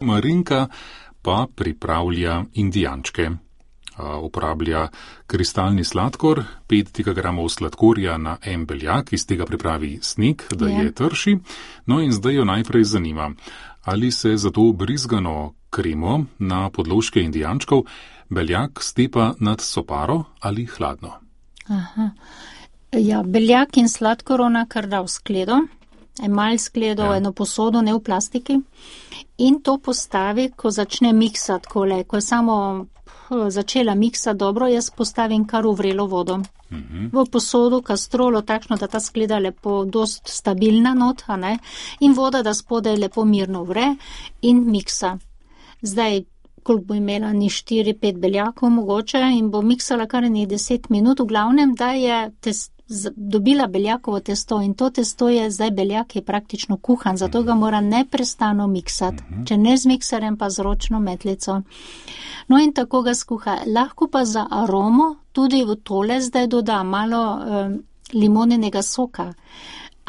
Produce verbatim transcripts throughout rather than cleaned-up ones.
Marinka pa pripravlja indijančke. Uporablja kristalni sladkor, pet gramov sladkorja na en beljak, iz tega pripravi sneg, da je, je trši. No in zdaj jo najprej zanima, ali se za to brizgano kremo na podložke indijančkov beljak stepa nad soparo ali hladno. Aha. Ja, beljak in sladkor ona kar da v skledo, emalj skledo, ja. Eno posodo, ne v plastiki. In to postavi, ko začne miksati kole, ko je samo začela miksati dobro, jaz postavim kar v vrelo vodo. Uh-huh. V posodo, kastrolo, takšno, da ta skleda lepo, dost stabilna not, a ne, in voda, da spodaj lepo mirno vre in miksa. Zdaj, koliko bo imela, ni štiri, pet beljakov mogoče in bo miksala kar nekaj deset minut, v glavnem, da je test, dobila beljakovo testo in to testo je, zdaj beljak je praktično kuhan, zato ga mora neprestano miksati, uh-huh. Če ne z mikserem, pa z ročno metlico. No in tako ga skuha. Lahko pa za aromo tudi v tole zdaj doda malo eh, limoninega soka.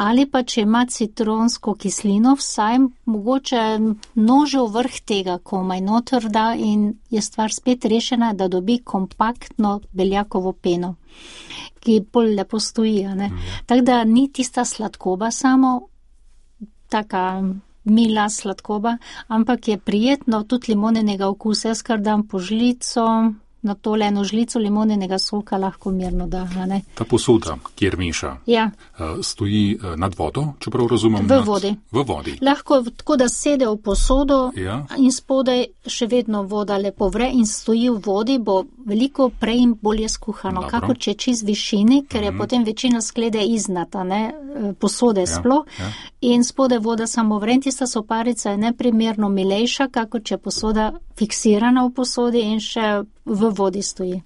Ali pa če ima citronsko kislino, vsaj mogoče nožev vrh tega komaj noter da in je stvar spet rešena, da dobi kompaktno beljakovo peno, ki bolj lepo stoji. Ne? Mm. Tako da ni tista sladkoba samo, taka mila sladkoba, ampak je prijetno tudi limoninega okusa. Jaz kar dam po žlico, na tole eno žlico limoninega soka lahko mirno da. Ne? Ta posoda, kjer meša, ja. Stoji nad vodo, čeprav razumem? V nad... vodi. V vodi. Lahko tako, da sede v posodo, ja. In spodaj še vedno voda lepo vre in stoji v vodi, bo veliko prej in bolje skuhano, kako če čez višini, ker je mm-hmm. potem večina sklede iznata, ne, posode ja. Sploh, ja. In spodaj voda samo vre, in tista soparica je neprimerno milejša, kako če posoda fiksirana v posodi in še v vodi stoji.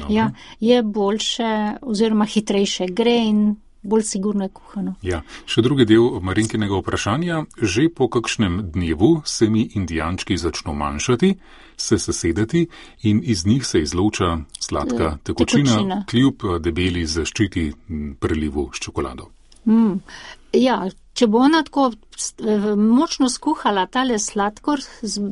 Ja, je boljše oziroma hitrejše gre in bolj sigurno je kuhano. Ja, še drugi del Marinkinega vprašanja. Že po kakšnem dnevu se mi indijančki začno manjšati, se sesedati in iz njih se izloča sladka tekočina, tekočina. Kljub debeli zaščiti prelivu s čokolado. Mm. Ja, če bo ona tako močno skuhala tale sladkor,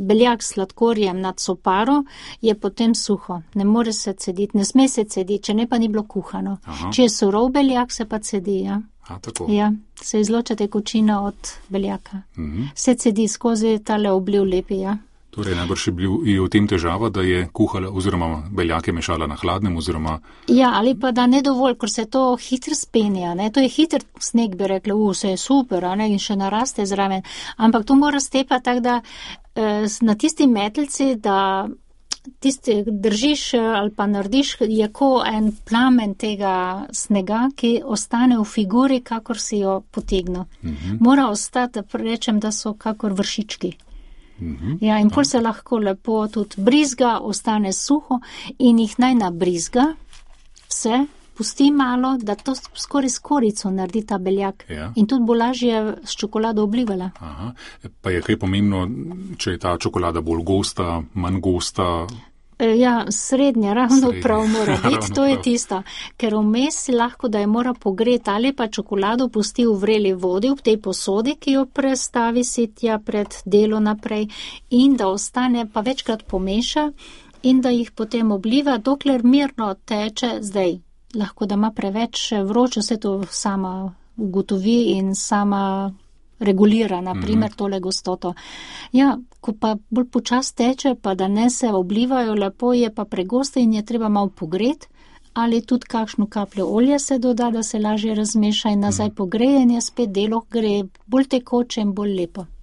beljak s sladkorjem nad soparo, je potem suho. Ne more se cediti, ne sme se cediti, če ne pa ni bilo kuhano. Aha. Če je surov beljak, se pa cedi, ja. A, tako. Ja, se izloča tekočina od beljaka. Mhm. Se cedi skozi tale obliv lepi, ja. Torej, najbrž je bil je v tem težava, da je kuhala oziroma beljake mešala na hladnem oziroma... Ja, ali pa da ne dovolj, ker se to hitro spenja, ne, to je hiter sneg, bi rekla, u, se je super, ne, in še naraste zraven, ampak to mora stepati tako, da eh, na tisti metelci, da tisti držiš ali pa narediš, je ko en plamen tega snega, ki ostane v figuri, kakor si jo potegnil. Mhm. Mora ostati, da rečem, da so kakor vršički. Ja, in pol se lahko lepo tudi brizga, ostane suho in jih naj nabrizga, vse, pusti malo, da to skoraj s korico naredi ta beljak. Ja. In tudi bo lažje s čokolado oblivala. Aha. Pa je kaj pomembno, če je ta čokolada bolj gosta, manj gosta? Ja, srednje, ravno srednje. Prav mora biti, to je tisto, ker vmes si lahko, da je mora pogreti ali pa čokolado pusti v vreli vodi v tej posodi, ki jo prestavi sitja pred delo naprej in da ostane, pa večkrat pomeša in da jih potem obliva, dokler mirno teče zdaj. Lahko, da ima preveč vroče, vse to sama ugotovi in sama regulira, na primer, tole gostoto. Ja, ko pa bolj počas teče, pa da ne se oblivajo lepo, je pa pregosto in je treba malo pogreti, ali tudi kakšno kapljo olje se doda, da se lažje razmeša in nazaj pogreje in je spet delo gre bolj tekoče in bolj lepo.